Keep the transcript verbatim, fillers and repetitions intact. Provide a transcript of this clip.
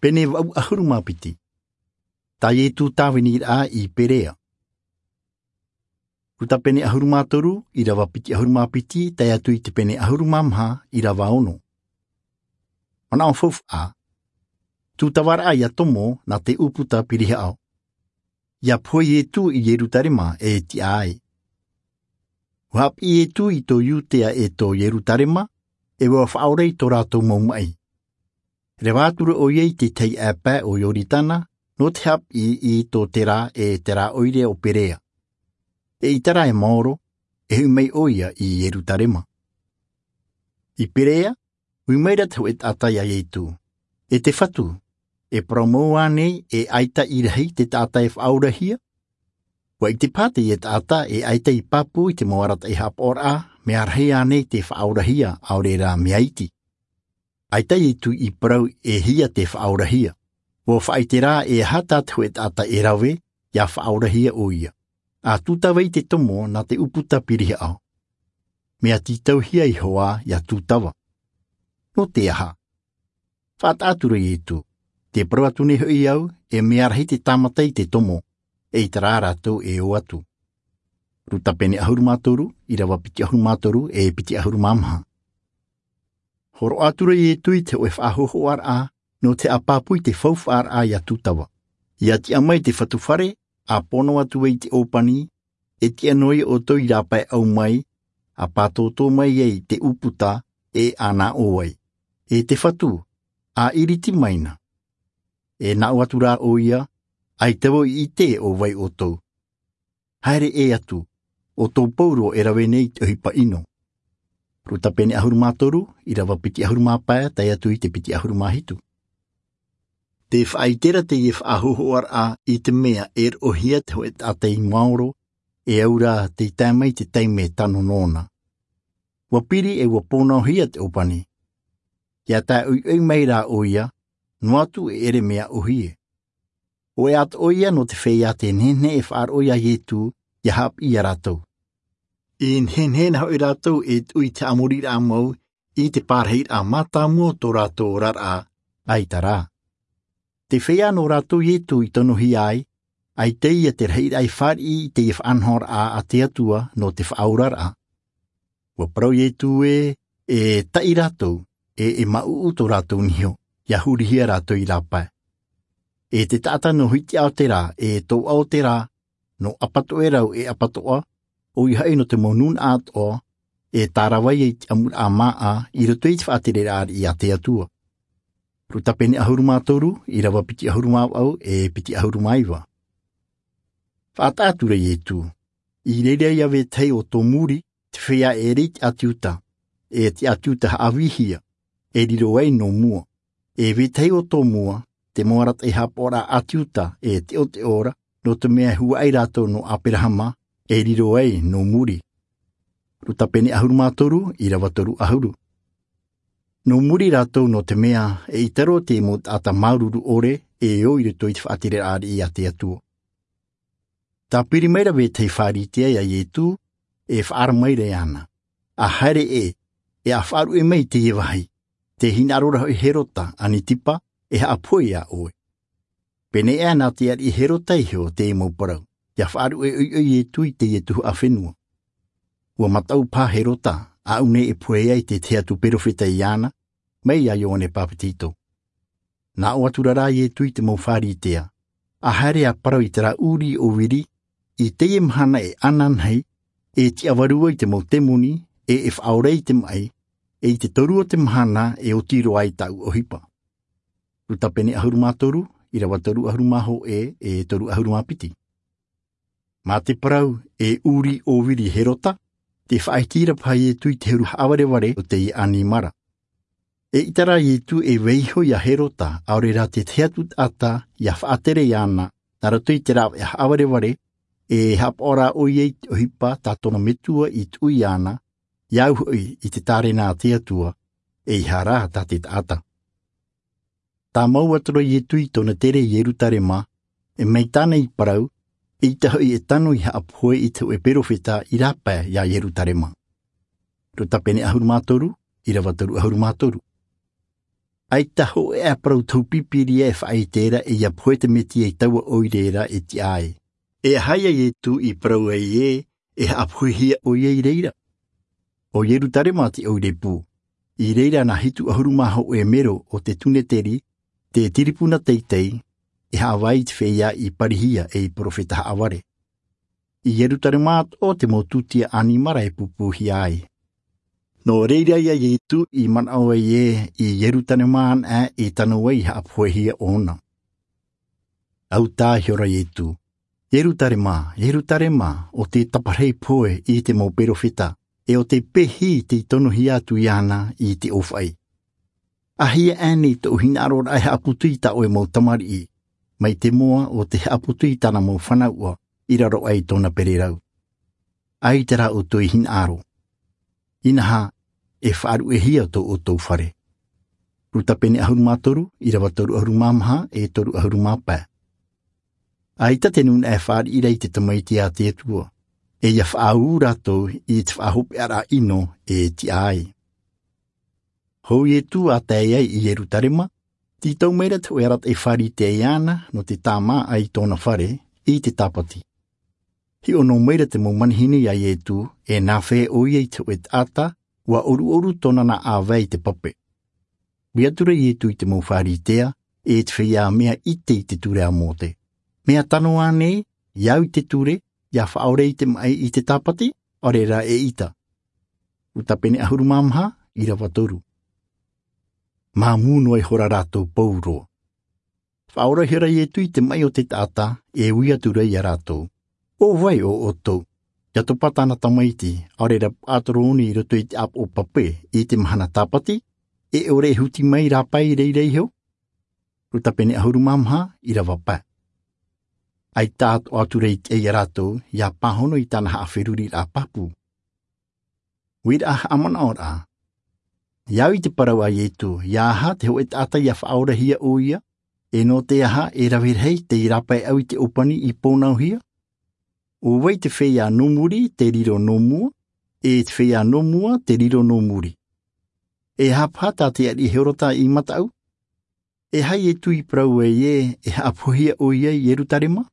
Pene vaʻu ʻahuru mā piti. Tā Ietu tāviniraʻa i Perea. Luka pene ʻahuru mā toru, ʻirava piti ʻahuru mā piti, tae atu i te pene ʻahuru mā maha, ʻirava ono. Manaʻo faufaʻa. Tūtavaraʻa ia tomo nā te ʻūputa pirihaʻo. ʻIa pohe Ietu i Ierutarema e tiʻa ai. ʻUa haʻapiʻi Ietu i tō Iutea e tō Ierutarema, e ʻua faʻaora i tō rātou mau maʻi. Reva atu ra ʻoia i te tahi ʻāpae o Ioritana, nō te haʻapiʻi i tō Tera e te rā ʻoire o Perea. E ʻita rā e maoro, e hoʻi mai ʻoia i Ierutarema. I Perea, ui mai ra te hōʻē taʻata ia Ietu. E te Fatu, e parau mau ānei e ʻaita i rahi te taʻata e faʻaorahia? ʻUa ʻite paha teie taʻata e ʻaita i pāpū i te mau arataʻi haʻapaʻoraʻa, mea rahi ānei te faʻaorahia, ʻaore rā mea iti. ʻAita Ietu i parau e hia te faʻaorahia. ʻUa faʻaʻite rā e aha tā te hōʻē taʻata e rave, ʻia faʻaorahia ʻoia. ʻA tūtava i te tomo nā te ʻūputa pirihaʻo. Mea tītauhia Iehova ʻia tūtava. Nō te aha? Faʻataʻa atu ra Ietu. Tē parau atu nei hoʻi au, e mea rahi te tāmata i te tomo, e ʻita rā rātou e ō atu. Luka pene ʻahuru mā toru, ʻirava piti ʻahuru mā toru, e piti ʻahuru mā maha. Hōroʻa atu ra Ietu i te hōʻē faʻahōhoʻaraʻa, nō te haʻapāpū i te faufaʻaraʻa ʻia tūtava. ʻIa tiʻa mai te Fatu fare, ʻa pono atu ai i te ʻōpani, e tiʻa noa ia ʻoutou i rāpae ʻau mai, ʻa pātōtō mai ai te ʻūputa, e ʻānaʻo ai. E te Fatu, ʻa iriti mai na. E naʻo atu rā ʻoia, ʻaita vau i ʻite ʻo vai ʻoutou. Haere ʻē atu, ʻo tō Pauro e rave nei i te ʻohipa ʻino. Luka pene ʻahuru mā toru, ʻirava piti ʻahuru mā pae, tae atu i te piti ʻahuru mā hitu. Tē faʻaʻite ra teie faʻahōhoʻaraʻa i te mea e roʻohia te hōʻē taʻata i maoro, e au rā tei tae mai te taime tano nōna. ʻUa piri e ʻua pōnaohia te ʻōpani. ʻIa tae ʻoiʻoi mai rā ʻoia, noa atu e ʻere mea ʻōhie. ʻO ʻoia atoʻa ïa nō te feiā tē nehenehe e faʻaroʻo ia Ietu, ʻia haʻapiʻi ia rātou. I nehenehe na hoʻi rātou e tuʻu i te haʻamoriraʻa mau, i te pārahiraʻa mātāmua o tō rātou oraraʻa, ʻaita rā. Te feiā nō rātou Ietu i tonohia ai, ʻaita ïa te rahiraʻa i fāriʻi i teie faʻanahoraʻa a te Atua nō te faʻaoraraʻa. ʻUa parau Ietu ē, e taʻi rātou, e, e māʻuʻu tō rātou niho, ʻia hurihia rātou i rāpae. E te taʻata nō Hitiʻa o Tera, e Toʻa o Tera, nō ʻApatoʻerau e ʻApatoʻa, ʻoia hoʻi nō te mau nūnaʻa atoʻa, e tārava ïa i te ʻamuraʻa māʻa, i roto i te faʻatereraʻa ariʻi a te Atua. Luka pene ʻahuru mā toru, ʻirava piti ʻahuru mā vaʻu, e piti ʻahuru mā iva. Faʻataʻa atu ra Ietu. I reira ïa vetahi o tō muri, te feiā e ʻere i te ʻĀti Iuta, e te ʻĀti Iuta haʻavīhia, e riro ai nō mua. E vetahi o tō mua, te mau arataʻi haʻapaʻoraʻa ʻĀti Iuta, e teʻoteʻo ra, nō te mea e huaʻai rātou nō Aperahama, e riro ai nō muri. Luka pene ʻahuru mā toru, ʻirava toru ʻahuru. Nō muri rātou nō te mea, eʻita roa te mau taʻata māuruuru ʻore, e ō i roto i te faʻatereraʻa ariʻi a te Atua. Tāpiri mai ra vetahi Pharisea ia Ietu, e faʻaara mai ra iāna. ʻA haere ē, e ʻa faʻaruʻe mai i teie vāhi. Tē hinaʻaro ra hoʻi Herota, Anitipa, e haʻapohe ia ʻoe. Pēneiaʻe nā te ariʻi Herota iho te mau parau, ʻia faʻaruʻe ʻoiʻoi Ietu i teie tuhaʻa fenua. ʻUa mataʻu paha Herota, ʻaʻu nei e pohe ai te tahi atu perofeta iāna, mai ia Ioane Papetito. Naʻo atu ra rā Ietu i te mau Pharisea, ʻa haere ʻa parau i terā ʻūrī ʻōviri, i teie mahana e ananahi, e tiʻavaru ai te mau temoni, e, e faʻaora i te maʻi, e i te toru o te mahana e oti roa ai tāʻu ʻohipa. Luka pene ʻahuru mā toru, ʻirava toru ʻahuru mā hōʻē, e toru ʻahuru mā piti. Mā te parau, e ʻūrī ʻōviri Herota, tē faʻaiti ra paha Ietu i te huru haʻavarevare o teie ʻanimara. Eʻita rā Ietu e vaiiho ia Herota, ʻaore rā te tahi atu taʻata, ʻia faʻatere iāna, nā roto i te rāveʻa haʻavarevare, e haʻapaʻo ra ʻoia i te ʻohipa tā tōna metua i tuʻu iāna, ʻia au hoʻi i te tārena a te Atua, ʻeiaha rā tā te taʻata. Tāmau atu ra Ietu i tōna tere i Ierutarema, e mai tāna i parau, eʻita hoʻi e tano i haʻapohe i te hōʻē perofeta i rāpae ia Ierutarema. Luka pene ʻahuru mā toru, ʻirava toru ʻahuru mā toru. ʻAita hōʻē ʻā parau tohu pīpīria e faʻaʻite ra ʻe ʻia pohe te Mesia i taua ʻoire ra e tiʻa ai. E aha ïa Iesu i parau ai ē e haʻapohehia ʻoia i reira? ʻO Ierusalema te ʻoire pū. I reira nā hitu ʻahuru mā hōʻē mero o te Seneteri, te tiripuna teitei, e haʻavā i te feiā i parihia ei perofeta haʻavare. I Ierusalema atoʻa te mau tūtia ʻanimara e pūpūhia ai. Nō reira ïa Iesu i manaʻo ai ē i Ierusalema anaʻe i tano ai i haʻapohehia ʻōna. ʻAuta ihora Iesu, Ierusalema, Ierusalema, ʻo tē taparahi pohe i te mau perofeta, ʻe ʻo tē pehi tei tonohia atu iāna i te ʻōfaʻi. ʻĀhia ānei tōʻu hinaʻaro ra e haʻaputu i tā ʻoe mau tamariʻi, mai te moa ʻo tē haʻaputu i tāna mau fanauʻa i raro aʻe i tōna pererau. ʻAita rā ʻoutou i hinaʻaro. Inaha, e faʻaruʻehia tō ʻoutou fare. Luka pene ʻahuru mā toru, ʻīrava toru ʻahuru mā maha, ʻe toru ʻahuru mā pae. ʻAita te nūnaʻa e fāriʻi ra i te Tamaiti a te Atua, ʻe ʻia faʻaū rātou i te faʻahopeʻaraʻa ʻino e tiʻa ai. Hou Iesu a tae ai i Ierusalema, tītau mai ra te hōʻē arataʻi Pharisea iāna nō te tāmāʻa i tōna fare i te Sāpati. Hiʻo noa mai ra te mau manihini iā Iesu, e nā fea ʻoia i te hōʻē taʻata, ʻua ʻoruʻoru tōna nā ʻāvae i te pape. Ui atu ra Iesu i te mau Pharisea, e te feiā mea ʻite i te ture a Mōse. Mea tano ānei, ʻia au i te ture, ʻia faʻaora i te maʻi i te Sāpati, ʻaore rā eʻita? Luka pene ʻahuru mā maha, ʻīrava toru. Māmū noa ihora rātou pauroa. Faʻaora ihora Iesu i te maʻi o te taʻata, e ui atu ra iā rātou. ʻO vai ʻo ʻoutou? ʻIa topa tāna tamaiti, ʻaore rā paʻatoro ʻōna i roto i te ʻāpoʻo pape, i te mahana Sāpati, e ʻore e huti mai i rāpae i reira iho? Luka pene ʻahuru mā maha, ʻīrava pae. ʻAita atoʻa atu ra i te ʻai iā rātou, ʻia pāhono i tāna haʻaferuriraʻa pāpū. Uiraʻa haʻamanaʻoraʻa. ʻIa au i te parau a Iesu, ʻia aha te hōʻē taʻata ʻia faʻaorahia ʻoia, e nō te aha e rave rahi tei rāpae au i te ʻōpani i pōnauhia? ʻO vai te feiā nō muri tē riro nō mua, e te feiā nō mua tē riro nō muri? E aha paha tā te ariʻi Herota i mataʻu? E aha Iesu i parau ai ē e haʻapohehia ʻoia i Ierusalema?